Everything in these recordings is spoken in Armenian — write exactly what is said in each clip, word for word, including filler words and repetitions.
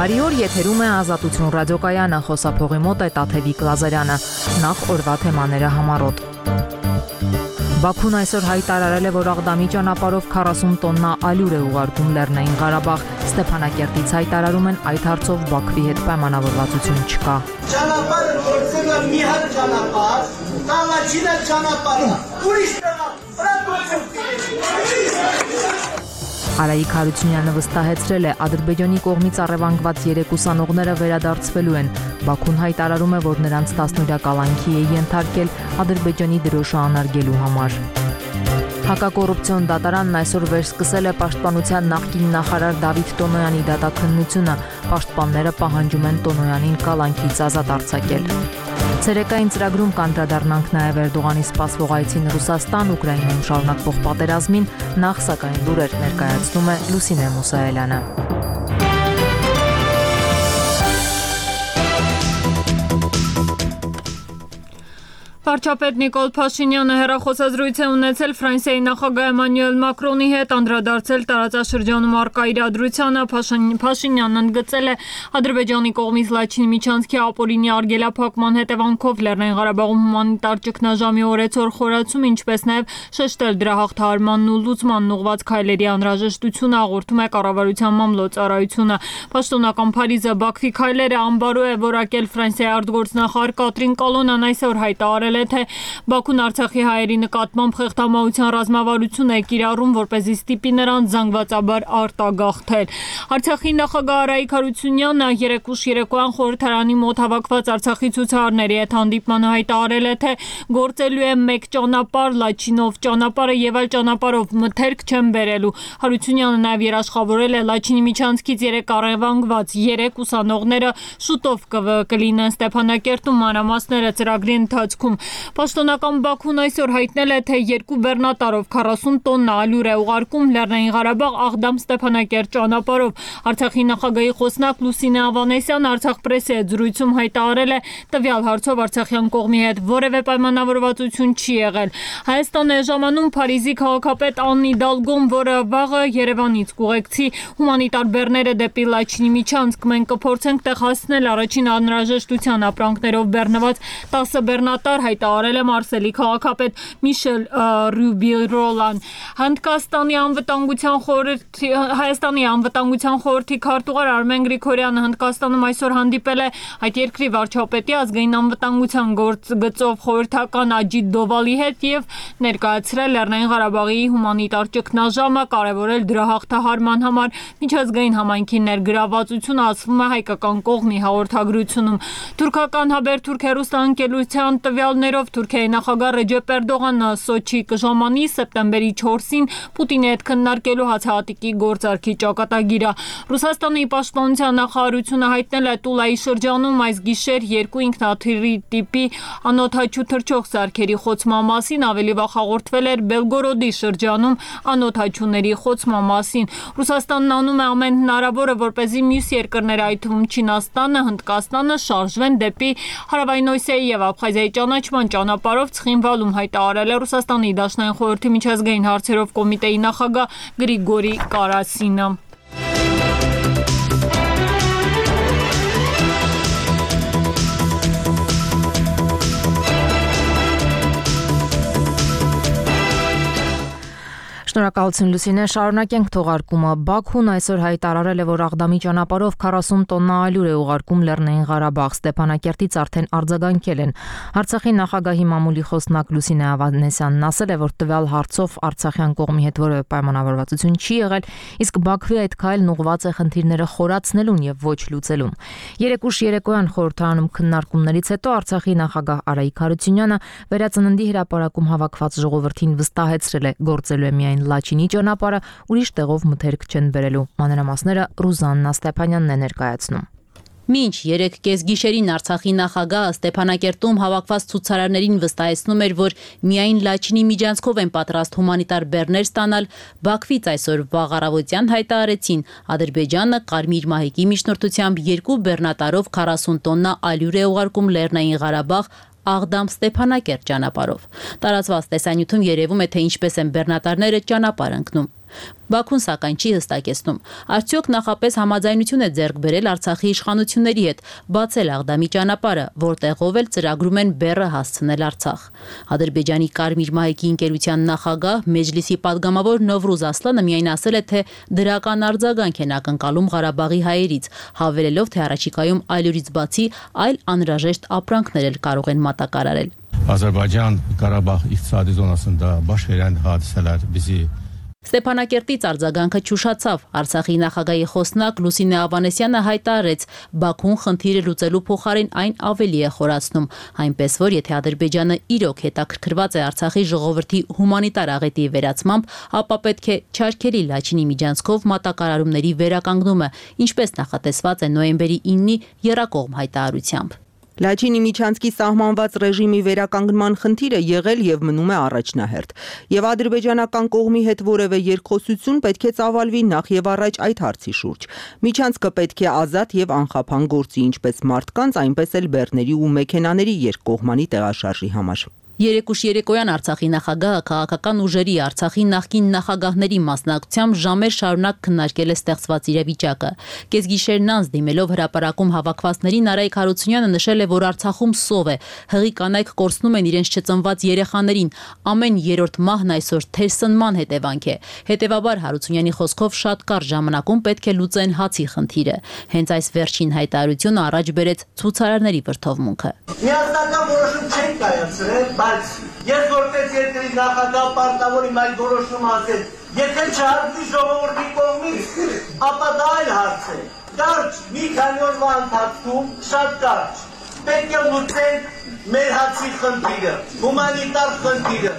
Բարի օր, եթերում է Ազատություն ռադիոկայանը, խոսափողի մոտ է Տաթևիկ Լազարյանը, նախ օրվա թեմաները համառոտ։ Բաքուն այսօր հայտարարել է, որ Աղդամի ճանապարհով քառասուն տոննա ալյուր է ուղարկում Լեռնային Ղարաբաղ։ Ստեփանակերտից հայտարարում են, այդ հարցով Բաքվի հետ պայմանավորվածություն չկա։ Ճանապարհը գործել է մի հատ ճանապարհ, Կալաչինը ճանապարհը, ուրիշ Արայիկ Հարությունյանը վստահեցրել է, Ադրբեջանի կողմից առևանգված երեք ուսանողները վերադարձվելու են։ Բաքուն հայտարարում է, որ նրանց տասնօրյա կալանքի է ենթարկել Ադրբեջանի դրոշը անարգելու համար։ Հակակոռուպցիոն դատարանն այսօր վերսկսել է Պաշտպանության նախկին նախարար Դավիթ Տոնոյանի դատաքննությունը։ Պաշտպանները պահանջում են Տոնոյանին կալանքից ազատ արձակել։ Ցերեկային ծրագրում կանդրադառնանք նաև Էրդողանի սպասվող այցին Ռուսաստան, Ուկրաինայում շարունակվող պատերազմին, նախ սակայն լուրեր ներկայացնում է Լուսինե Մուսայելյանը։ Վարչապետ Նիկոլ Փաշինյանը հեռախոսազրույց է ունեցել Ֆրանսիայի նախագահ Էմանուել Մակրոնի հետ, անդրադարձել տարածաշրջանում առկա իրադրությանը։ Փաշինյանն ընդգծել է Ադրբեջանի կողմից Լաչինի միջանցքի ապօրինի արգելափակման հետևանքով Լեռնային Ղարաբաղում հումանիտար ճգնաժամի օրեցօր խորացում, ինչպես նաև շեշտել դրա հաղթահարմանն ու լուծմանն ուղղված քայլերի անհրաժեշտությունը, հաղորդում է կառավարության մամլոյցարայությունը։ Պաշտոնական Փարիզը Բաքվի քայլերը անբարո է որակել Ֆրանսիայի արտգործնախարար Կատրին Կոլոնան այսօր հայտարարել է, թե Բաքուն Արցախի հայերի նկատմամբ խեղդամահության ռազմավարություն է կիրառում, որպեսզի ստիպի նրանց զանգվածաբար արտագաղթել։ Արցախի նախագահ Արայիկ Հարությունյանը երեկ ուշ երեկոյան խորհրդարանի մոտ հավաքված Արցախի ցուցարարների հետ հանդիպման հայտարարել է, թե գործելու է մեկ ճանապարհ Լաչինով ճանապարհը եւ այլ ճանապարհով մթերք չեն բերելու։ Հարությունյանը նաև երաշխավորել է Լաչինի միջանցքից երեք առևանգված երեք ուսանողները շուտով կլինեն Ստեփանակերտում, մանրամասները ծրագրի ընթացքում։ Պաշտոնական Բաքուն այսօր հայտնել է, թե երկու բեռնատարով քառասուն տոննա ալյուր է ուղարկում Լեռնային Ղարաբաղ Աղդամ Ստեփանակերտ ճանապարհով։ Արցախի նախագահի խոսնակ Լուսինե Ավանեսյան Արցախ պրեսի հետ զրույցում հայտարարել է, տվյալ հարցով արցախյան կողմի հետ որևէ պայմանավորվածություն չի եղել։ Հայաստան է ժամանում Փարիզի քաղաքապետ Աննի Դալգոն, որը վաղը Երևանից կուղեկցի հումանիտար բեռները դեպի Լաչինի միջանցք։ Մենք կփորձենք տեղ հասնել առաջին անհրաժեշտության ապրանքներով բեռնված տասը բեռնատար, հայտարարել է Մարսելի քաղաքապետ Միշել Ռյուբիռոլան։ Հնդկաստանի անվտանգության խորհրդի Հայաստանի անվտանգության խորհրդի քարտուղար Արմեն Գրիգորյանը Հնդկաստանում այսօր հանդիպել է այդ երկրի վարչապետի ազգային անվտանգության գործ գծով խորհրդական Աջիտ Դովալի հետ եւ ներկայացրել Լեռնային Ղարաբաղի հումանիտար ճգնաժամը, կարևորել դրա հաղթահարման համար միջազգային համայնքի ներգրավվածությունը, ասվում է հայկական կողմի հաղորդագրությունում։ Թուրքական Հաբերթուրք հեռուստաընկերության տվյալներով Թուրքիայի նախագահ Ռեջեփ Էրդողանը Սոչի կժամանի սեպտեմբերի չորսին Պուտինի հետ քննարկելու հացահատիկի գործարքի ճակատագիրը։ Ռուսաստանի պաշտպանության նախարարությունը հայտնել է Տուլայի շրջանում այս գիշեր երկու ինքնաթիռի տիպի անօդաչու թռչող սարքերի խոցման մասին, ավելի վաղ հաղորդվել էր Բելգորոդի շրջանում անօդաչուների խոցման մասին։ Ռուսաստանն անում է ամեն հնարավորը, որպեսզի մյուս երկրները, այդ թվում Չինաստանը, Հնդկաստանը շարժվեն դեպի Հարավային Օսիայի եւ Աբխազիայի ճանաչման ճանապարհով, Ցխինվալում հայտարարել է Ռուսաստանի Դաշնային խորհրդի միջազգային հարցերով կոմիտեի նախագահ Գրիգորի Կարասինը։ Շնորհակալություն Լուսինե, շարունակենք թողարկումը։ Բաքուն այսօր հայտարարել է, որ Աղդամի ճանապարհով քառասուն տոննա ալյուր է ուղարկում Լեռնային Ղարաբաղ։ Ստեփանակերտից արդեն արձագանքել են։ Արցախի նախագահի մամուլի խոսնակ Լուսինե Ավանեսյանն ասել է, որ տվյալ հարցով արցախյան կողմի հետ որևէ պայմանավորվածություն չի եղել, իսկ Բաքվի այդ քայլն ուղղված է խնդիրները խորացնելուն եւ ոչ լուծելուն։ Երեկ ուշ երեկոյան խորհրդարանում քննարկումներից հետո Արցախի նախագահ Արայիկ Հարությունյանը Վերածննդի հրապարակում հավաքված ժողովրդին վստահեցրել է, գործելու է միայն Լաչինի ճանապարհը, ուրիշ տեղով մթերք չեն բերելու։ Մանրամասները Ռուզաննա Ստեփանյանն է ներկայացնում։ Մինչ երեք կեսգիշերին Արցախի նախագահը Ստեփանակերտում հավաքված ցուցարարներին վստահեցնում էր, որ միայն Լաչինի միջանցքով են պատրաստ հումանիտար բեռներ ստանալ, Բաքվից այսօր վաղ առավոտյան հայտարարեցին, Ադրբեջանը Կարմիր մահիկի միջնորդությամբ երկու բեռնատարով քառասուն տոննա ալյուր է ուղարկում Լեռնային Ղարաբաղ Աղդամ Ստեփանակերտ ճանապարհով։ Տարածված տեսանյութում երևում է, թե ինչպես են բեռնատարները ճանապարհ ընկնում։ Բաքուն սակայն չի հստակեցնում, արդյոք նախապես համաձայնություն է ձեռք բերել Արցախի իշխանությունների հետ բացել Աղդամի ճանապարհը, որտեղով էլ ծրագրում են բեռը հասցնել Արցախ։ Ադրբեջանի Կարմիր մահիկի ընկերության նախագահ Մեջլիսի падգամավոր Նովրուզ Ասլանը միայն ասել է, թե դրական արձագանք են ակնկալում Ղարաբաղի հայերից, հավելելով, թե առաջիկայում այլուրից բացի այլ անհրաժեշտ ապրանքներ էլ կարող են մատակարարել։ Azərbaycan Qarabağ iqtisadi zonasında baş verən hadisələr bizi Ստեփանակերտից արձագանքը չուշացավ։ Արցախի նախագահի խոսնակ Լուսինե Ավանեսյանը հայտարարեց, Բաքուն խնդիրը լուծելու փոխարեն այն ավելի է խորացնում, այնպես որ եթե Ադրբեջանը իրոք հետաքրքրված է Արցախի ժողովրդի հումանիտար աղետի վերացմամբ, ապա պետք է չարգելի Լաչինի միջանցքով մատակարարումների վերականգնումը, ինչպես նախատեսված է նոյեմբերի իննի եռակողմ հայտարարությամբ։ Լաչինի միջանցքի սահմանված ռեժիմի վերականգնման խնդիրը եղել եւ մնում է առաջնահերթ, եւ ադրբեջանական կողմի հետ որևէ երկխոսություն պետք է ծավալվի նախ եւ առաջ այդ հարցի շուրջ։ Միջանցքը պետք է ազատ եւ անխափան գործի ինչպես մարդկանց, այնպես էլ բեռների ու մեքենաների երկկողմանի տեղաշարժի համար։ Երեկուշ երեկոյան Արցախի նախագահը քաղաքական ուժերի Արցախի նախկին նախագահների մասնակցությամբ ժամեր շարունակ քննարկել է ստեղծված իրավիճակը։ Կեսգիշերն անց դիմելով հրապարակում հավաքվածներին Արայք Հարությունյանը նշել է, որ Արցախում սով է, հղի կանայք կորցնում են իրենց չծնված երեխաներին, ամեն երրորդ մահն այսօր թերսնման հետևանք է։ Հետևաբար Հարությունյանի խոսքով շատ կարճ ժամանակում պետք է լուծեն հացի խնդիրը։ Հենց այս վերջին հայտարարությունը առաջ բերեց ցուցարարների վրդովմունքը։ Միասնական որոշում չեն կայացրել, բայց ես որպես երկրի նախագահ պարտավոր եմ այդ որոշումը ասել։ Եթե չհարցնի ժողովրդի կողմից, ապա դա այլ հարց է։ Կարճ մի քանի օրվա ընթացքում շատ կարճ պետք է լուծենք մեր հացի խնդիրը, հումանիտար խնդիրը։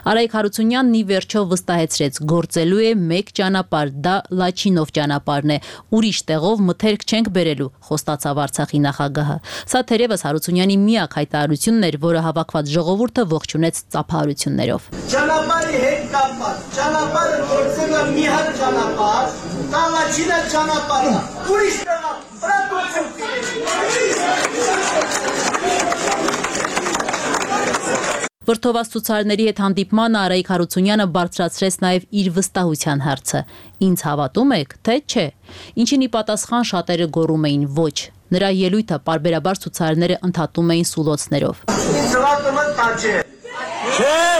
Արայք Հարությունյանն ի վերջո վստահեցրեց, գործելու է մեկ ճանապարհ, դա Լաչինով ճանապարհն է, ուրիշ տեղով մթերք չենք բերելու, խոստացավ Արցախի նախագահը։ Սա թերևս Հարությունյանի միակ հայտարարությունն էր, որը հավաքված ժողովուրդը ողջունեց ծափահարություններով։ Ճանապարհի հետ կապված, ճանապարհը գործել է մի հատ ճանապարհ, դա Լաչինը ճանապարհը, ուրիշ տեղը Վրդովված ցուցարարների հետ հանդիպմանը Արայք Հարությունյանը բարձրացրեց նաև իր վստահության հարցը։ Ինձ հավատում եք, թե չէ։ Ինչին ի պատասխան շատերը գոռում էին ոչ։ Նրա ելույթը պարբերաբար ցուցարարները ընդհատում էին սուլոցներով։ Ինձ հավատում եք, թե չէ։ Չէ։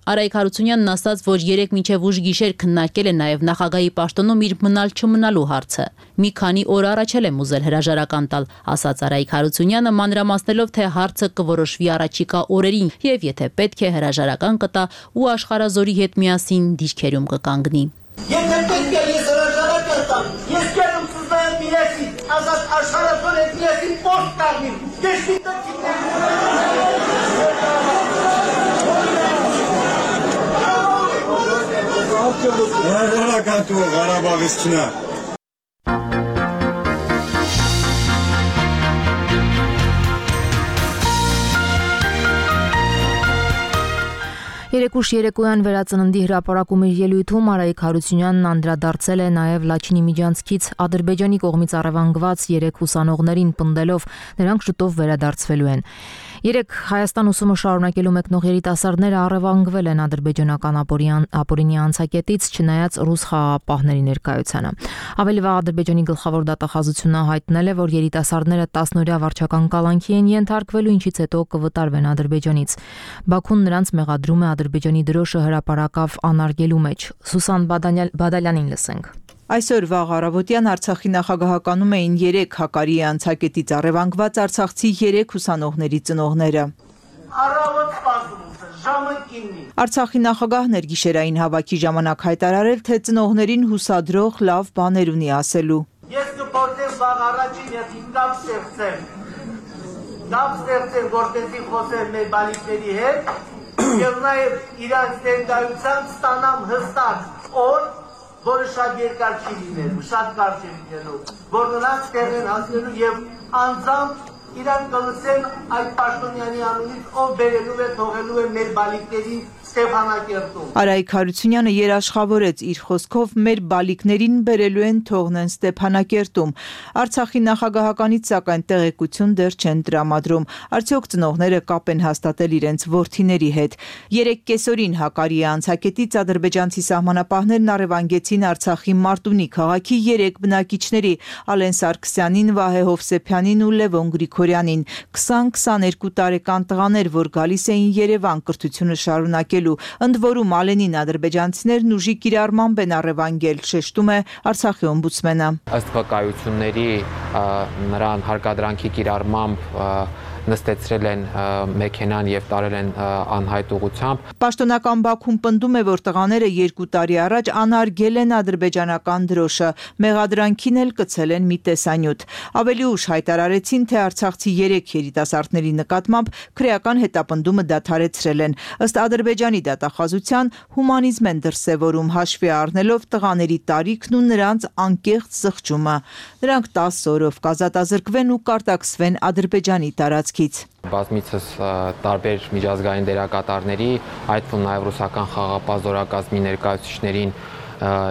Արայք Հարությունյանն ասաց, որ երեք մինչև ուշ գիշեր քննարկել է նաև նախագահի պաշտոնում իր մնալ չմնալու հարցը։ Մի քանի օր առաջ էլ եմ ուզել հրաժարական տալ, ասաց Արայք Հարությունյանը, մանրամասնելով, թե հարցը կորոշվի առաջիկա օրերին եւ եթե պետք է հրաժարական կտա ու Աշխարհազորի հետ միասին դիրքերում կկանգնի։ Եթե պետք է ես հրաժարական տամ, ես կերում սուզնայեմ միասին, ազատ Աշխարհազոր հետ միասին պոստ կազմիմ, դեշտի Հրաժարական տուր Ղարաբաղիցնա։ Երեկուշ երեկոյան վերածննդի հրապարակում իր ելույթում Արայք Հարությունյանն անդրադարձել է նաև Լաչինի միջանցքից Ադրբեջանի կողմից առևանգված երեք ուսանողներին պնդելով նրանք շուտով վերադարձվելու են։ Երեք Հայաստան ուսումը շարունակելու մեկնող երիտասարդները առևանգվել են ադրբեջանական ապօրինի անցակետից, չնայած ռուս խաղաղապահների ներկայությանը։ Ավելի վաղ Ադրբեջանի գլխավոր դատախազությունը հայտնել է, որ երիտասարդները տասնօրյա վարչական կալանքի են ենթարկվելու, ինչից հետո կվտարվեն Ադրբեջանից։ Բաքուն նրանց մեղադրում է Ադրբեջանի դրոշը հրապարակավ անարգելու մեջ։ Սուսան Բադալյանին լսենք։ Այսօր վաղ առավոտյան Արցախի նախագահականում էին երեք հակարի անցակետից առևանգված արցախցի երեք ուսանողների ծնողները։ Առավոտ սպասում, ժամը կինի։ Արցախի նախագահն էր գիշերային հավաքի ժամանակ հայտարարել, թե ծնողներին հուսադրող լավ բաներ ունի ասելու։ Ես կփորձեմ վաղ առաջին ես ինքնավ ստեղծեմ։ Դապ ստեղծեմ, որտեղի խոսել մեր բալիկների հետ, եւ նաեւ իրանց ներկայությամբ ստանամ հստակ օր, որը շատ երկար չի լինելու, շատ կարճ է լինելու, որ նրանց տեղ են հասնելու եւ անձամբ իրան կլսեն այդ պաշտոնյանի անունից, ով բերելու է, թողելու է մեր բալիկների Ստեփանակերտում։ Արայիկ Հարությունյանը երաշխավորեց իր խոսքով մեր բալիկներին բերելու են թողնեն Ստեփանակերտում։ Արցախի նախագահականից սակայն տեղեկություն դեռ չեն տրամադրում։ Արդյոք ծնողները կապ են հաստատել իրենց որդիների հետ։ Երեք կեսօրին Հակարիի անցակետից ադրբեջանցի սահմանապահներն առևանգեցին Արցախի Մարտունի քաղաքի երեք բնակիչների՝ Ալեն Սարգսյանին, Վահե Հովսեփյանին ու Լևոն Գրիգորյանին, քսան քսաներկու տարեկան տղաներ, որ գալիս էին Երևան կրթությունը շարունակելու։ Ընդ որում Ալենին ադրբեջանցիներն ուժի կիրառմամբ են առևանգել, շեշտում է Արցախի օմբուդսմենը։ Ըստ վկայությունների նրան հարկադրանքի կիրառմամբ նստեցրել են մեքենան եւ տարել են անհայտ ուղությամբ։ Պաշտոնական Բաքուն պնդում է, որ տղաները երկու տարի առաջ անարգել են ադրբեջանական դրոշը, մեղադրանքին էլ կցել են մի տեսանյութ։ Ավելի ուշ հայտարարեցին, թե արցախցի երեք երիտասարդների նկատմամբ քրեական հետապնդումը դադարեցրել են։ Ըստ Ադրբեջանի դատախազության հումանիզմ են դրսևորում, հաշվի առնելով տղաների տարիքն ու նրանց անկեղծ զղջումը։ Նրանք տասը օրով կազատազրկվեն ու կարտաքսվեն Ադրբեջանի տարածքից։ Բազմիցս տարբեր միջազգային դերակատարների, այդ թվում նաև ռուսական խաղաղապահ զորակազմի ներկայացուցիչներին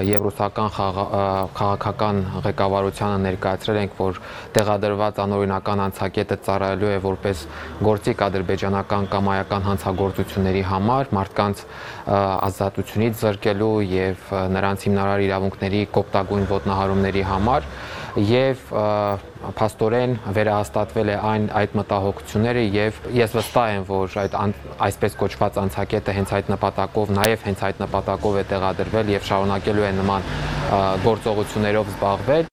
եւ ռուսական քաղաքական ղեկավարությանը ներկայացրել ենք, որ տեղադրված անօրինական անցակետը ծառայելու է որպես գործիք ադրբեջանական կամայական հանցագործությունների համար, մարդկանց ազատությունից զրկելու եւ նրանց հիմնարար իրավունքների կոպտագույն ոտնահարումների համար եւ փաստորեն վերահաստատվել է այն այդ մտահոգությունները եւ ես վստահ եմ, որ այդ այսպես կոչված անցակետը հենց այդ նպատակով, նաեւ հենց այդ նպատակով է տեղադրվել եւ շարունակելու է նման գործողություններով զբաղվել։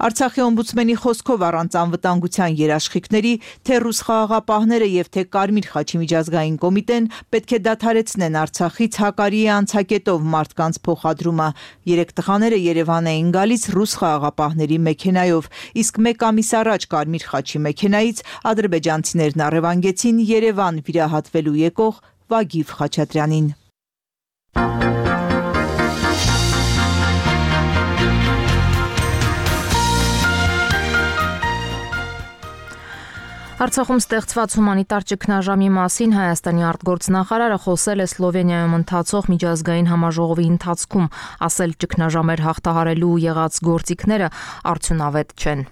Արցախի օմբուդսմենի խոսքով առանց անվտանգության երաշխիքների, թե ռուս խաղաղապահները եւ թե Կարմիր խաչի միջազգային կոմիտեն պետք է դադարեցնեն Արցախից Հակարիի անցակետով մարդկանց փոխադրումը։ Երեք տղաները Երևան էին գալիս ռուս խաղաղապահների մեքենայով, իսկ մեկ ամիս առաջ Կարմիր խաչի մեքենայից ադրբեջանցիներն առևանգեցին Երևան վիրահատվելու եկող Վագիվ Խաչատրյանին։ Արցախում ստեղծված հումանիտար ճգնաժամի մասին Հայաստանի արտգործնախարարը խոսել է Սլովենիայում ընթացող միջազգային համաժողովի ընթացքում, ասել ճգնաժամեր հաղթահարելու եղած գործիքները արդյունավետ չեն։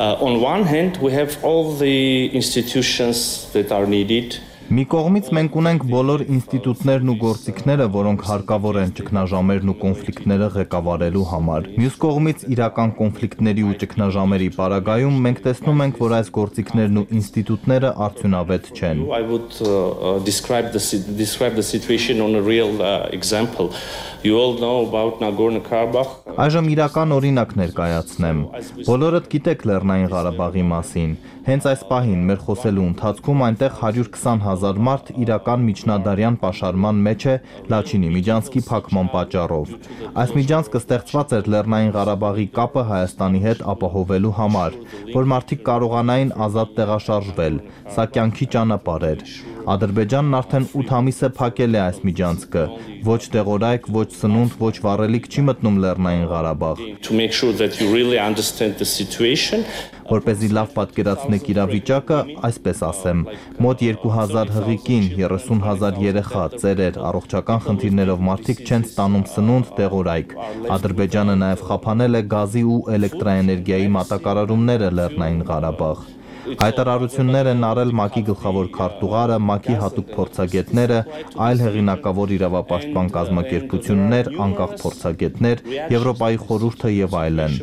On one hand we have all the institutions that are needed. Մի կողմից մենք ունենք բոլոր ինստիտուտներն ու գործիքները, որոնք հարկավոր են ճգնաժամերն ու կոնֆլիկտները ղեկավարելու համար։ Մյուս կողմից իրական կոնֆլիկտների ու ճգնաժամերի պարագայում մենք տեսնում ենք, որ այս գործիքներն ու ինստիտուտները արդյունավետ չեն։ I would uh, describe the describe the situation on a real uh, example. You all know about Nagorno-Karabakh. Այժմ իրական օրինակ ներկայացնեմ։ Բոլորդ գիտեք Լեռնային Ղարաբաղի մասին։ Հենց այս պահին մեր խոսելու ընթացքում այնտեղ հարյուր քսան հազար մարդ իրական միջնադարյան պաշարման մեջ է Լաչինի միջանցքի փակման պատճառով։ Այս միջանցքը ստեղծված էր Լեռնային Ղարաբաղի կապը Հայաստանի հետ ապահովելու համար, որ մարդիկ կարողանային ազատ տեղաշարժվել։ Սա կյանքի ճանապարհ էր։ Ադրբեջանն արդեն ութ ամիս է փակել է այս միջանցքը։ Ոչ տեղորայք, ոչ սնունդ, ոչ վառելիք չի մտնում Լեռնային Ղարաբաղ։ To make sure that you really understand the situation. Որպեսզի լավ պատկերացնեք իրավիճակը, այսպես ասեմ, մոտ երկու հազար հղիկին, երեսուն հազար երեխա, ծերեր, առողջական խնդիրներով մարդիկ չեն ստանում սնունդ, տեղորայք։ Ադրբեջանը նաև խափանել է գազի ու էլեկտրաէներգիայի մատակարարումները Լեռնային Ղարաբաղ։ Հայտարարություններ են արել ՄԱԿ-ի գլխավոր քարտուղարը, ՄԱԿ-ի հատուկ փորձագետները, այլ հեղինակավոր իրավապաշտպան կազմակերպություններ, անկախ փորձագետներ, Եվրոպայի խորհուրդը եւ այլն։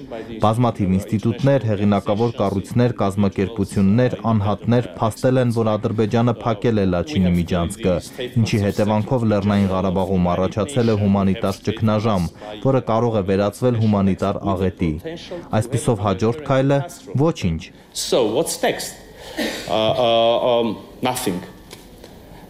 Բազմաթիվ ինստիտուտներ, հեղինակավոր կառույցներ, կազմակերպություններ, անհատներ փաստել են, որ Ադրբեջանը փակել է Լաչինի միջանցքը, ինչի հետևանքով Լեռնային Ղարաբաղում առաջացել է հումանիտար ճգնաժամ, որը կարող է վերածվել հումանիտար աղետի։ Այսպիսով հաջորդ քայլը ոչինչ։ So what's next? Uh, uh, um, nothing.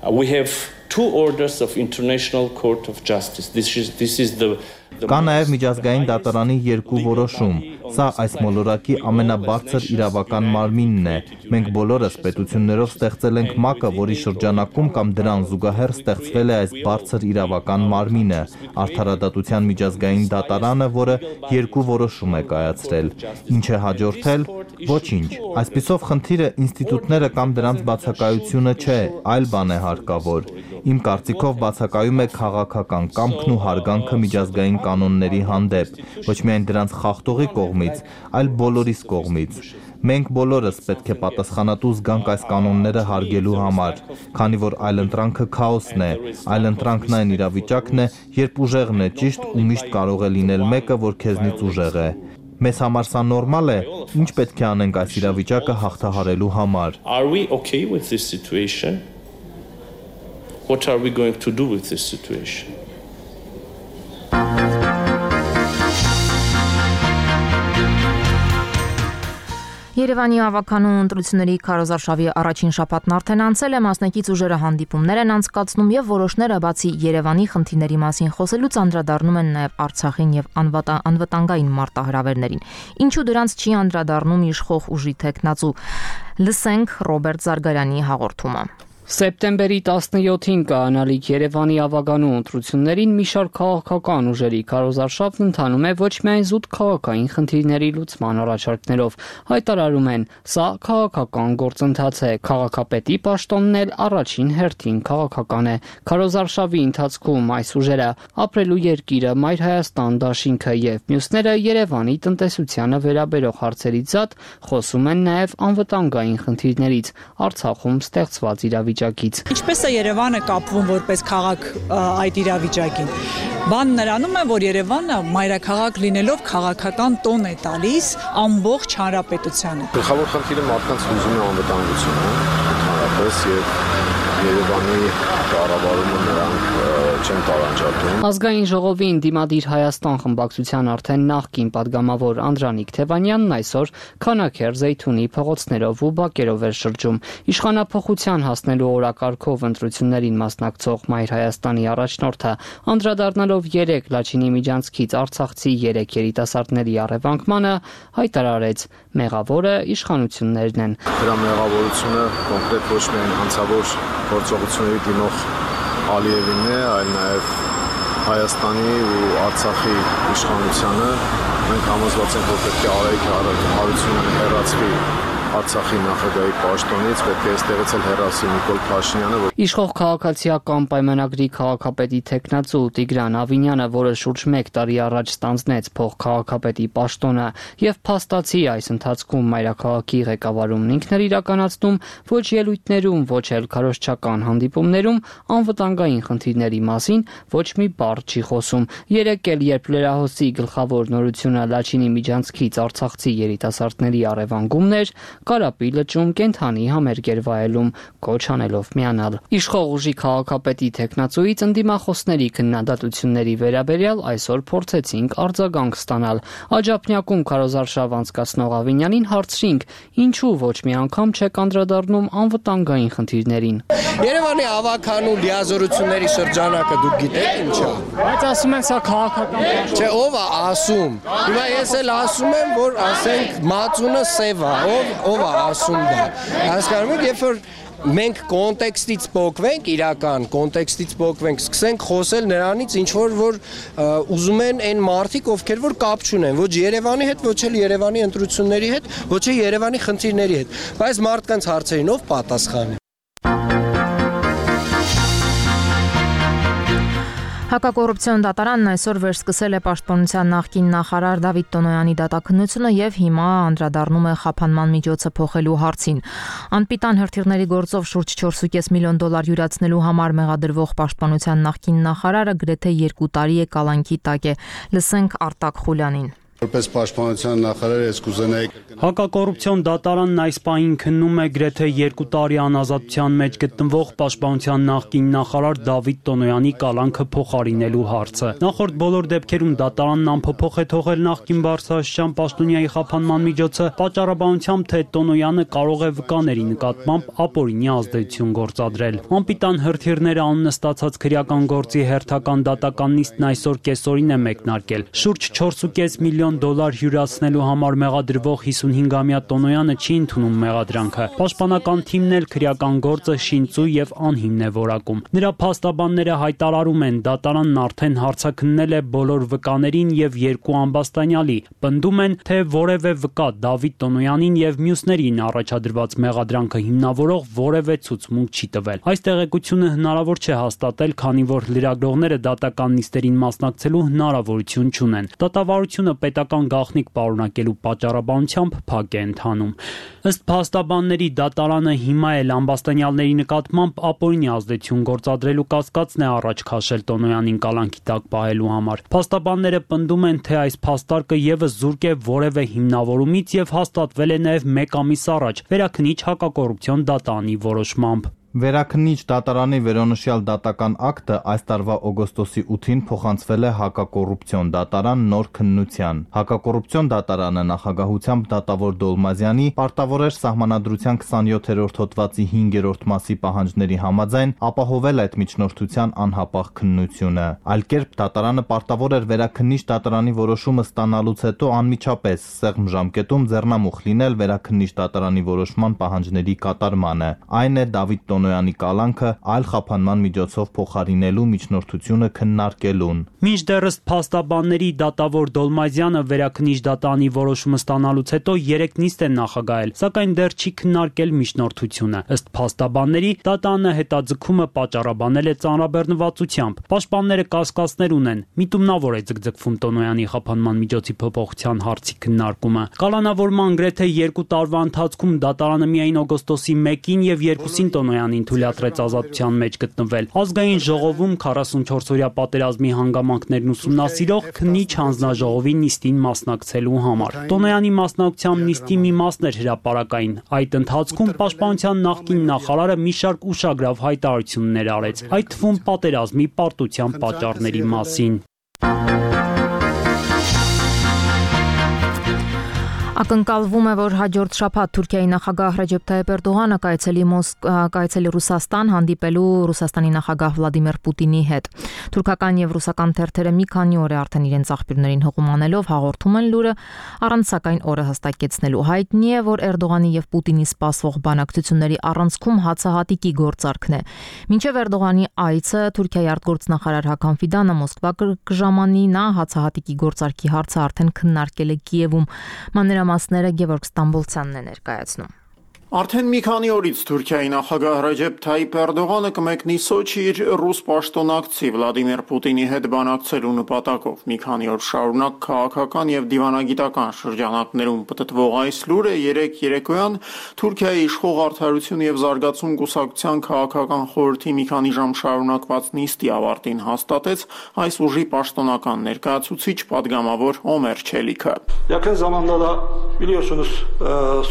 Uh, we have two orders of International Court of Justice. This is this is the Կա նաև միջազգային դատարանի երկու որոշում։ Սա այս մոլորակի ամենաբարձր իրավական մարմինն է։ Մենք բոլորս պետություններով ստեղծել ենք ՄԱԿ-ը, որի շրջանակում կամ դրան զուգահեռ ստեղծվել է այս բարձր իրավական մարմինը՝ Արդարադատության միջազգային դատարանը, որը երկու որոշում է կայացրել։ Ինչ է հաջորդել։ Ոչինչ։ Այսպիսով խնդիրը ինստիտուտները կամ դրանց բացակայությունը չէ, այլ բան է հարկավոր։ Իմ կարծիքով բացակայում է քաղաքական կամքն ու հարգանքը միջազգային կանոնների հանդեպ, ոչ միայն դրանց խախտողի կողմից, այլ բոլորիս կողմից։ Մենք բոլորս պետք է պատասխանատու զգանք այս կանոնները հարգելու համար, քանի որ այլընտրանքը քաոսն է, այլընտրանքն այն իրավիճակն է, երբ ուժեղն է ճիշտ ու միշտ կարող է լինել մեկը, որ քեզնից ուժեղ է։ Մեզ համար սա նորմալ է, ինչ պետք է անենք այս իրավիճակը հաղթահարելու համար։ Are we okay with this situation? What are we going to do with this situation? Երևանի ավականու ընտրությունների քարոզարշավի առաջին շաբաթն արդեն անցել է, մասնակից ուժերը հանդիպումներ են անցկացնում եւ որոշները բացի Երևանի խնդիրների մասին խոսելուց անդրադառնում են նաեւ Արցախին եւ անվտանգային մարտահրավերներին։ Ինչու դրանց չի անդրադառնում իշխող ուժի տեխնացու։ Լսենք Ռոբերտ Զարգարյանի հաղորդումը։ Սեպտեմբերի տասնյոթին կայանալիք Երևանի ավականու ընտրություններին մի շարք քաղաքական ուժերի քարոզարշավն ընթանում է ոչ միայն զուտ քաղաքային խնդիրների լուծման առաջարկներով, հայտարարում են, սա քաղաքական գործընթաց է, քաղաքապետի պաշտոնն էլ առաջին հերթին քաղաքական է։ Քարոզարշավի ընթացքում այս ուժերը ապրելու երկիրը, Մայր Հայաստան դաշինքը եւ մյուսները Երևանի տնտեսությանը վերաբերող հարցերից զատ խոսում են նաեւ անվտանգային խնդիրներից, Արցախում ստեղծված իրավիճակից։ Ինչպես է Երևանը կապվում որպես քաղաք այդ իրավիճակին։ Բանն նրանում է, որ Երևանը մայրաքաղաք լինելով քաղաքական տոն է տալիս ամբողջ հանրապետությանը։ Գլխավոր խնդիրը մարդկանց հուզում է անվտանգությունը, ընդհանրապես եւ Երևանի կառավարումը նրանք չեն տարանջատում։ Ազգային ժողովին Դիմադիր Հայաստան խմբակցության արդեն նախկին падգամավոր Անդրանիկ Թևանյանն այսօր Քանաքեր Զեյթունի փողոցներով ու բակերով էր շրջում։ Իշխանափոխության հասնելու օրակարգով ընտրություններին մասնակցող Մայր Հայաստանի առաջնորդը անդրադառնալով երեք Լաչինի միջանցքից արցախցի երեք երիտասարդների առևանգմանը հայտարարեց. մեղավորը իշխանություններն են։ Դրա մեղավորությունը կոնկրետ ոչ միայն հանցավոր գործողությունների դիմող Ալիևին է, այլ նաև Հայաստանի ու Արցախի իշխանությանը։ Մենք համոզված ենք, որ պետք է Արայիկ Հարությունյանը հեռացվի Արցախի նախագահի պաշտոնից, պետք է այստեղից էլ հեռացվի Նիկոլ Փաշինյանը։ Իշխող քաղաքացիական պայմանագրի քաղաքապետի տեխնացու Տիգրան Ավինյանը, որը շուրջ մեկ տարի առաջ ստանձնեց փոխքաղաքապետի պաշտոնը եւ փաստացի այս ընթացքում մայրաքաղաքի ղեկավարումն ինքն էր իրականացնում, ոչ ելույթներում, ոչ էլ քարոզչական հանդիպումներում անվտանգային խնդիրների մասին ոչ մի բառ չի խոսում։ Երեկ էլ երբ լրահոսի գլխավոր նորությունը Լաչինի միջանցքից արցախցի երիտասարդների առևանգումն էր, Կարապի լճում կենթանի համերգ էր վայելում, կոչ անելով միանալ։ Իշխող ուժի քաղաքապետի տեխնացուից ընդդիմախոսների քննադատությունների վերաբերյալ այսօր փորձեցինք արձագանք ստանալ։ Աջափնյակում քարոզարշավ անցկացնող Ավինյանին հարցրինք, ինչու ոչ մի անգամ չեք անդրադառնում անվտանգային խնդիրներին։ Երևանի ավականու լիազորությունների շրջանակը դուք գիտեք ինչ է։ Բայց ասում են սա քաղաքական պաշտոն։ Չէ, ով է ասում։ Հիմա ես էլ ասում եմ, որ ասենք մածունը սև է, ով ով է ասում դա։ Հասկանում եք, երբ որ մենք կոնտեքստից փոխվենք, իրական կոնտեքստից փոխվենք, սկսենք խոսել նրանից, ինչ որ որ ուզում են այն մարդիկ, ովքեր որ կապ չունեն, ոչ Երևանի հետ, ոչ էլ Երևանի ընտրությունների հետ, ոչ էլ Երևանի խնդիրների հետ։ Բայց մարդկանց հարցերին ով պատասխանի։ Հակակոռուպցիոն դատարանն այսօր վերսկսել է պաշտպանության նախկին նախարար Դավիթ Տոնոյանի դատաքննությունը եւ հիմա անդրադառնում է խափանման միջոցը փոխելու հարցին։ Անպիտան հրթիռների գործով շուրջ չորս կես միլիոն դոլար յուրացնելու համար մեղադրվող պաշտպանության նախկին նախարարը գրեթե երկու տարի է կալանքի տակ է։ Լսենք Արտակ Խուլյանին։ Որպես պաշտպանության նախարար ես կուզենայի Հակակոռուպցիոն դատարանն այս պահին քննում է գրեթե երկու տարի անազատության մեջ գտնվող պաշտպանության նախկին նախարար Դավիթ Տոնոյանի կալանքը փոխարինելու հարցը։ Նախորդ բոլոր դեպքերում դատարանն անփոփոխ է թողել նախկին բարձրաստիճան պաշտոնյայի խափանման միջոցը, պատճառաբանությամբ թե Տոնոյանը կարող է վկաների նկատմամբ ապօրինի ազդեցություն գործադրել։ Անպիտան հրթիռները անունը ստացած քրեական գործի հերթական դատական նիստն այսօր կեսօրին է մեկնարկել։ Շուրջ չորս ու կես միլիոն դոլար հյուրացնելու համար մեղադրվող հիսունհինգամյա Տոնոյանը չի ընդունում մեղադրանքը։ Պաշտպանական թիմն էլ քրեական գործը շինծու եւ անհիմն է որակում։ Նրա փաստաբանները հայտարարում են, դատարանն արդեն հարցաքննել է բոլոր վկաներին եւ երկու ամբաստանյալի, պնդում են, թե որևէ վկա Դավիթ Տոնոյանին եւ մյուսներին առաջադրված մեղադրանքը հիմնավորող որևէ ցուցմունք չի տվել։ Այս տեղեկությունը հնարավոր չէ հաստատել, քանի որ լրագրողները դատական նիստերին մասնակցելու հնարավորություն չունեն։ Դատավարությունը պետական գաղտնիք պարունակելու պատճառաբանությամբ փակ է ընթանում։ Ըստ փաստաբանների, դատարանը հիմա էլ ամբաստանյալների նկատմամբ ապօրինի ազդեցություն գործադրելու կասկածն է առաջ քաշել Տոնոյանին կալանքի տակ պահելու համար։ Փաստաբանները պնդում են, թե այս փաստարկը եւս զուրկ է որևէ հիմնավորումից եւ հաստատվել է նաեւ մեկ ամիս առաջ վերաքննիչ հակակոռուպցիոն դատարանի որոշմամբ։ Վերաքննիչ դատարանի վերոնշյալ դատական ակտը այս տարվա օգոստոսի ութին փոխանցվել է հակակոռուպցիոն դատարան նոր քննության։ Հակակոռուպցիոն դատարանը նախագահությամբ դատավոր Դոլմազյանի պարտավոր էր սահմանադրության քսանյոթերորդ հոդվածի հինգերորդ մասի պահանջների համաձայն ապահովել այդ միջնորդության անհապաղ քննությունը։ Այլ կերպ դատարանը պարտավոր էր վերաքննիչ դատարանի որոշումը ստանալուց հետո անմիջապես սեղմ ժամկետում ձեռնամուխ լինել վերաքննիչ դատարանի որոշման պահանջների կատարմանը։ Այն է Դավիթ Տոնոյանի կալանքը այլ խափանման միջոցով փոխարինելու միջնորդությունը քննարկելուն։ Մինչդեռ ըստ փաստաբանների դատավոր Դոլմազյանը վերաքննիչ դատարանի որոշումը ստանալուց հետո երեք նիստ է նախագահել, սակայն դեռ չի քննարկել միջնորդությունը։ Ըստ փաստաբանների դատարանը հետաձգումը պատճառաբանել է ծանրաբեռնվածությամբ։ Պաշտպանները կասկածներ ունեն, միտումնավոր է ձգձգվում Տոնոյանի խափանման միջոցի փոփոխության հարցի քննարկումը։ Կալանավորման գրեթե երկու տարվա ընթացքում դատարանը միայն օգոստոսի մեկին եւ երկուսին Տոնոյանին թույլատրեց ազատության մեջ գտնվել։ Ազգային ժողովում քառասունչորսօրյա պատերազմի հանգամանքներն ուսումնասիրող քննիչ հանձնաժողովի նիստին մասնակցելու համար։ Տոնոյանի մասնակցությամբ նիստի մի մասն էր հրապարակային։ Այդ ընթացքում պաշտպանության նախկին նախարարը մի շարք ուշագրավ հայտարարություններ արեց, այդ թվում պատերազմի պարտության պատճառների մասին։ Ակնկալվում է, որ հաջորդ շաբաթ Թուրքիայի նախագահ Ռեջեփ Թայիփ Էրդողանը կայցելի կայցելի Ռուսաստան հանդիպելու Ռուսաստանի նախագահ Վլադիմիր Պուտինի հետ։ Թուրքական եւ ռուսական թերթերը մի քանի օր է արդեն իրենց աղբյուրներին հղումանելով հաղորդում են լուրը, առանց սակայն օրը հստակեցնելու։ Հայտնի է, որ Էրդողանի եւ Պուտինի սպասվող բանակցությունների առանցքում հացահատիկի գործարքն է։ Մինչև Էրդողանի այցը Թուրքիայի արտգործնախարար Հական Ֆիդանը Մոսկվա կժամանի, նա հացահատիկի գործարքի հարցը արդեն քննարկել է Կիևում։ Մանրամասները Գևորգ Ստամբոլցյանն է ներկայացնում։ Արդեն մի քանի օրից Թուրքիայի նախագահ Ռեջեփ Թայիփ Էրդողանը կմեկնի Սոչի իր ռուս պաշտոնակցի Վլադիմիր Պուտինի հետ բանակցելու նպատակով։ Մի քանի օր շարունակ քաղաքական եւ դիվանագիտական շրջանակներում պտտվող այս լուրը երեք երեկոյան Թուրքիայի իշխող Արդարություն եւ Զարգացում կուսակցության քաղաքական խորհրդի մի քանի ժամ շարունակված նիստի ավարտին հաստատեց այս ուժի պաշտոնական ներկայացուցիչ падգամավոր Օմեր Չելիքը։ Yakın zamanda da biliyorsunuz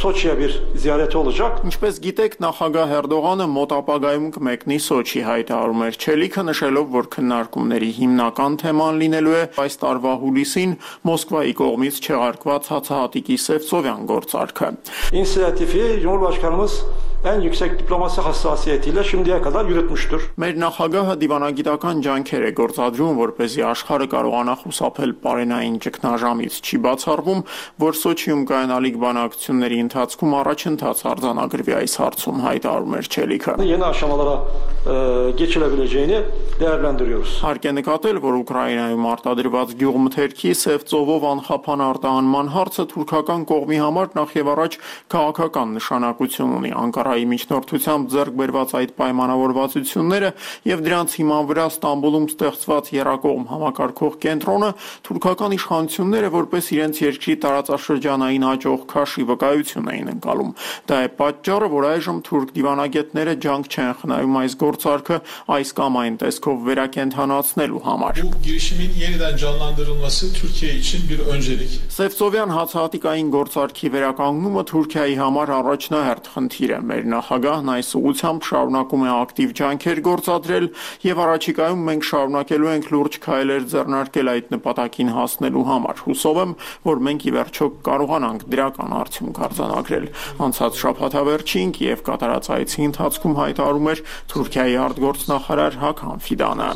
Soçi'ye bir ziyaret olacak. Ինչպես գիտեք, նախագահ Էրդողանը մոտ ապագայում կմեկնի Սոչի, հայտարարում էր Չելիքը, նշելով, որ քննարկումների հիմնական թեման լինելու է այս տարվա հուլիսին Մոսկվայի կողմից չեղարկված հացահատիկի Սևծովյան գործարքը։ İnisiyatifi Cumhurbaşkanımız en yüksek diplomasi hassasiyetiyle şimdiye kadar yürütmüştür. Մեր նախագահը դիվանագիտական ջանքեր է գործադրում, որպեսզի աշխարհը կարողանա խուսափել պարենային ճգնաժամից։ Չի բացառվում, որ Սոչիում կայանալիք բանակցությունների ընթացքում առաջընթաց արձանագրվի այս հարցում, հայտարարում էր Չելիքը։ Yeni aşamalara e, geçilebileceğini değerlendiriyoruz. Հարկ է նկատել, որ Ուկրաինայում արտադրված գյուղմթերքի Սևծովով անխափան արտահանման հարցը թուրքական կողմի համար նախ եւ առաջ քաղաքական նշանակություն ունի։ Անկարայի Անկարայի միջնորդությամբ ձեռք բերված այդ պայմանավորվածությունները եւ դրանց հիման վրա Ստամբուլում ստեղծված Եռակողմ համակարգող կենտրոնը թուրքական իշխանությունները որպես իրենց երկրի տարածաշրջանային հաջող քաշի վկայություն էին ընկալում։ Դա է պատճառը, որ այժմ թուրք դիվանագետները ջանք չեն խնայում այս գործարքը այս կամ այն տեսքով վերակենդանացնելու համար։ Bu girişimin yeniden canlandırılması Türkiye için bir öncelik. Սևծովյան հացահատիկային գործարքի վերականգնումը Թուրքիայի համար առաջնահերթ խնդիր է։ Մեր նախագահն այս ուղղությամբ շարունակում է ակտիվ ջանքեր գործադրել եւ առաջիկայում մենք շարունակելու ենք լուրջ քայլեր ձեռնարկել այդ նպատակին հասնելու համար։ Հուսով եմ, որ մենք ի վերջո կարողանանք դրական արդյունք արձանագրել։ Անցած շաբաթավերջին Կիև կատարած այցի ընթացքում հայտարարում էր Թուրքիայի արտգործնախարար Հական Ֆիդանը։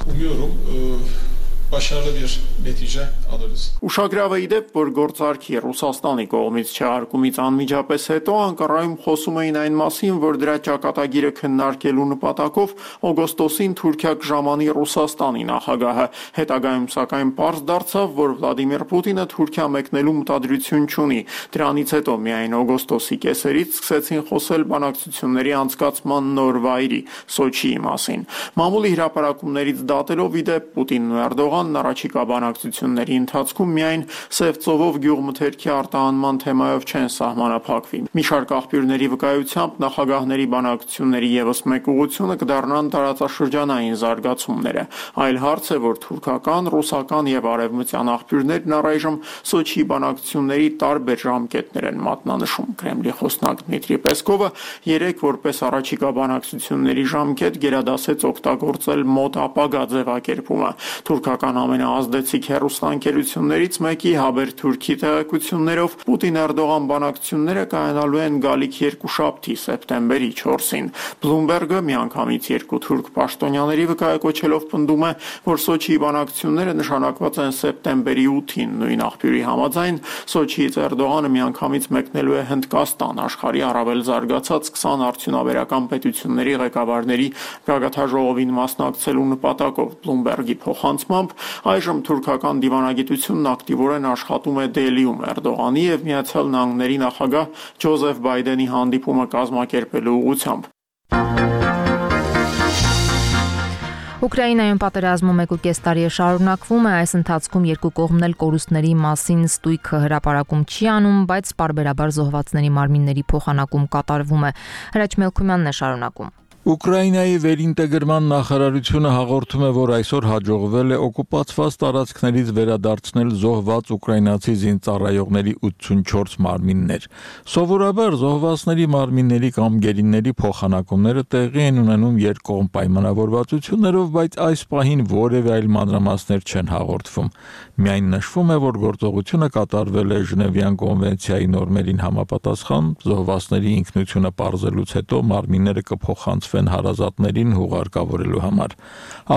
Başarılı bir netice alırız. Ուշագրավ է իդեպ, որ գործարքի Ռուսաստանի կողմից չհարկումից անմիջապես հետո Անկարայում խոսում էին այն մասին, որ դրա ճակատագիրը քննարկելու նպատակով օգոստոսին Թուրքիա կժամանի Ռուսաստանի նախագահը։ Հետագայում սակայն պարզ դարձավ, որ Վլադիմիր Պուտինը Թուրքիա մեկնելու մտադրություն չունի։ Դրանից հետո միայն օգոստոսի կեսերից սկսեցին խոսել բանակցությունների անցկացման նոր վայրի՝ Սոչիի մասին։ Մամուլի հրապարակումներից դատելով իդեպ Պուտինն ու Էրդողանն առաջիկա բանակցությունների ընթացքում միայն Սևծովով գյուղմթերքի արտահանման թեմայով չեն սահմանափակվի։ Մի շարք աղբյուրների վկայությամբ նախագահների բանակցությունների ևս մեկ ուղղությունը կդառնան տարածաշրջանային զարգացումները։ Այլ հարց է, որ թուրքական, ռուսական եւ արևմտյան աղբյուրներն առայժմ Սոչիի բանակցությունների տարբեր ժամկետներ են մատնանշում։ Կրեմլի խոսնակ Դմիտրի Պեսկովը երեք որպես առաջիկա բանակցությունների ժամկետ գերադասեց օգտագործել մոտ ապագա ձևակերպումը։ Թուրքական ամենաազդեցիկ հեռուստաընկերություններից մեկի Haber Turkey տեղեկություններով Պուտին-Էրդողան բանակցությունները կայանալու են գալիք երկուշաբթի սեպտեմբերի չորսին։ Bloomberg-ը միանգամից երկու թուրք պաշտոնյաների վկայակոչելով պնդում է, որ Սոչիի բանակցությունները նշանակված են սեպտեմբերի ութին։ Նույն աղբյուրի համաձայն Սոչիից Էրդողանը միանգամից մեկնելու է Հնդկաստան, աշխարհի առավել զարգացած քսան արդյունաբերական պետությունների ղեկավարների գագաթաժողովին մասնակցելու նպատակով։ Bloomberg-ի փոխանցմամբ այժմ թուրքական դիվանագիտությունն ակտիվորեն աշխատում է Դելիում Էրդողանի եւ Միացյալ Նահանգների նախագահ Ջոզեֆ Բայդենի հանդիպումը կազմակերպելու ուղղությամբ։ Ուկրաինայում պատերազմը մեկ ու կես տարի է շարունակվում է, այս ընթացքում երկու կողմն էլ կորուստների մասին ստույգ հրապարակում չի անում, բայց պարբերաբար զոհվածների մարմինների փոխանակում կատարվում է։ Հրաչ Մելքումյանն է շարունակում։ Ուկրաինայի վերինտեգրման նախարարությունը հաղորդում է, որ այսօր հաջողվել է օկուպացված տարածքներից վերադարձնել զոհված ուկրաինացի զինծառայողների ութսունչորս մարմիններ։ Սովորաբար զոհվածների մարմինների կամ գերիների փոխանակումները տեղի են ունենում երկկողմ պայմանավորվածություններով, բայց այս պահին որևէ այլ մանրամասներ չեն հաղորդվում։ Միայն նշվում է, որ գործողությունը կատարվել է Ժնևյան կոնվենցիայի նորմերին համապատասխան, զոհվածների ինքնությունը պարզելուց հետո մարմինները կփոխանցվեն հարազատներին հուղարկավորելու համար։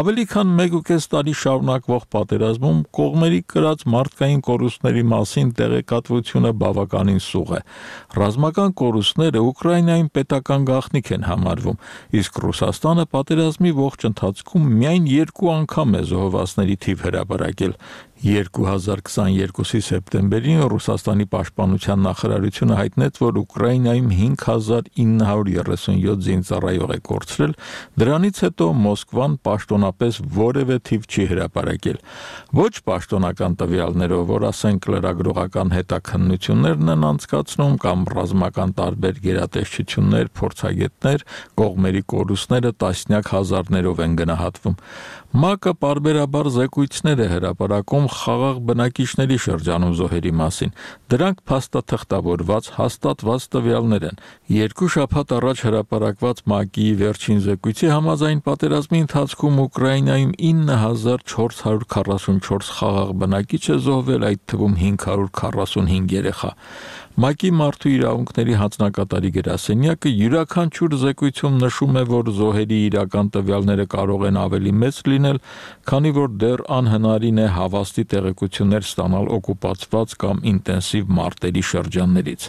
Ավելի քան մեկ ու կես տարի շարունակվող պատերազմում կողմերի կրած մարդկային կորուստների մասին տեղեկատվությունը բավականին սուղ է։ Ռազմական կորուստները Ուկրաինայում պետական գաղտնիք են համարվում, իսկ Ռուսաստանը պատերազմի ողջ ընթացքում միայն երկու անգամ է զոհվածների թիվ հրապարակել։ երկու հազար քսաներկուսի սեպտեմբերին Ռուսաստանի պաշտպանության նախարարությունը հայտնեց, որ Ուկրաինայում հինգ հազար ինը հարյուր երեսունյոթ զինծառայող է կորցրել, դրանից հետո Մոսկվան պաշտոնապես որևէ թիվ չի հրապարակել։ Ոչ պաշտոնական տվյալներով, որ ասենք լրագրողական հետաքննություններն են անցկացնում կամ ռազմական տարբեր գերատեսչություններ, փորձագետներ, կողմերի կորուստները տասնյակ հազարներով են գնահատվում։ ՄԱԿ-ը պարբերաբար զեկույցներ է հրապարակում խաղաղ բնակիչների շրջանում զոհերի մասին։ Դրանք փաստաթղթավորված հաստատված տվյալներ են։ Երկու շաբաթ առաջ հրապարակված ՄԱԿ-ի վերջին զեկույցի համաձայն պատերազմի ընթացքում Ուկրաինայում ինը հազար չորս հարյուր քառասունչորս խաղաղ բնակիչ է զոհվել, այդ թվում հինգ հարյուր քառասունհինգ երեխա։ ՄԱԿ-ի մարդու իրավունքների հանձնակատարի գրասենյակը յուրաքանչյուր զեկույցում նշում է, որ զոհերի իրական տվյալները կարող են ավելի մեծ լինել, քանի որ դեռ անհնարին է հավաստի տեղեկություններ ստանալ օկուպացված կամ ինտենսիվ մարտերի շրջաններից։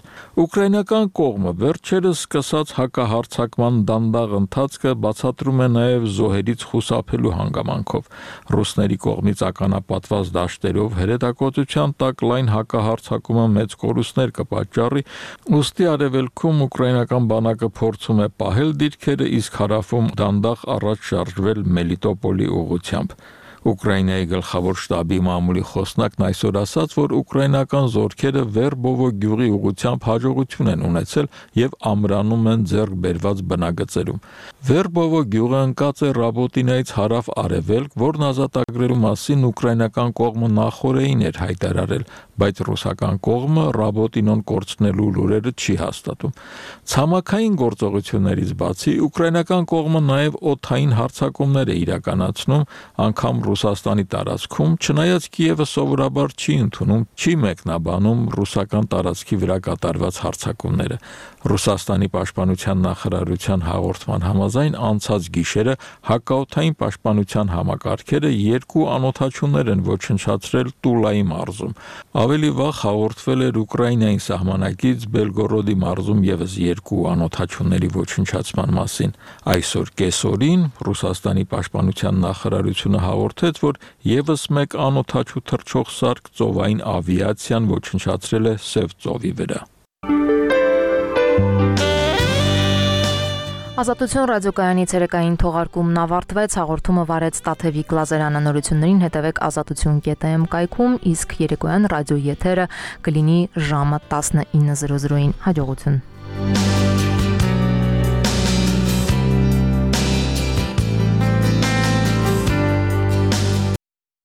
Ուկրաինական կողմը վերջերս սկսած հակահարձակման դանդաղ ընթացքը բացատրում է նաև զոհերից խուսափելու հանգամանքով։ Ռուսների կողմից ականապատված դաշտերով հրետակոծության տակ լայն հակահարձակումը մեծ կորուստներ պատճառի, ուստի արևելքում ուկրաինական բանակը փորձում է պահել դիրքերը, իսկ հարավում դանդաղ առաջ շարժվել Մելիտոպոլի ուղղությամբ։ Ուկրաինայի գլխավոր շտաբի մամուլի խոսնակն այսօր ասաց, որ ուկրաինական զորքերը Վերբովո գյուղի ուղղությամբ հաջողություն են ունեցել եւ ամրանում են ձեռք բերված բնագծերում։ Վերբովո գյուղը ընկած է Ռաբոտինայից հարավ-արևելք, որն ազատագրելու մասին ուկրաինական կողմը նախորդին էր հայտարարել, բայց ռուսական կողմը Ռաբոտինոն կորցնելու լուրերը չի հաստատում։ Ցամաքային գործողություններից բացի ուկրաինական կողմը նաեւ օդային հարձակումներ է իրականացնում, անգամ Ռուսաստանի տարածքում, չնայած Կիևը սովորաբար չի ընդունում, չի մեկնաբանում ռուսական տարածքի վրա կատարված հարձակումները։ Ռուսաստանի պաշտպանության նախարարության հաղորդման համաձայն անցած գիշերը հակաօդային պաշտպանության համակարգերը երկու անօդաչուներ են ոչնչացրել Տուլայի մարզում։ Ավելի վաղ հաղորդվել էր Ուկրաինայի սահմանակից Բելգորոդի մարզում եւս երկու անօդաչուների ոչնչացման մասին։ Այսօր կեսօրին Ռուսաստանի պաշտպանության նախարարությունը հաղորդեց, որ եւս մեկ անօդաչու թռչող սարք ծովային ավիացիան ոչնչացրել է Սև ծովի վրա։ Ազատություն ռադիոկայանի ցերեկային թողարկումն ավարտվեց, հաղորդումը վարեց Տաթևիկ Լազարյանը, նորություններին հետևեք ազատություն կետ էմ կայքում, իսկ երեկոյան ռադիո եթերը կլինի ժամը տասնինը զրո զրոին։ Հաջողություն։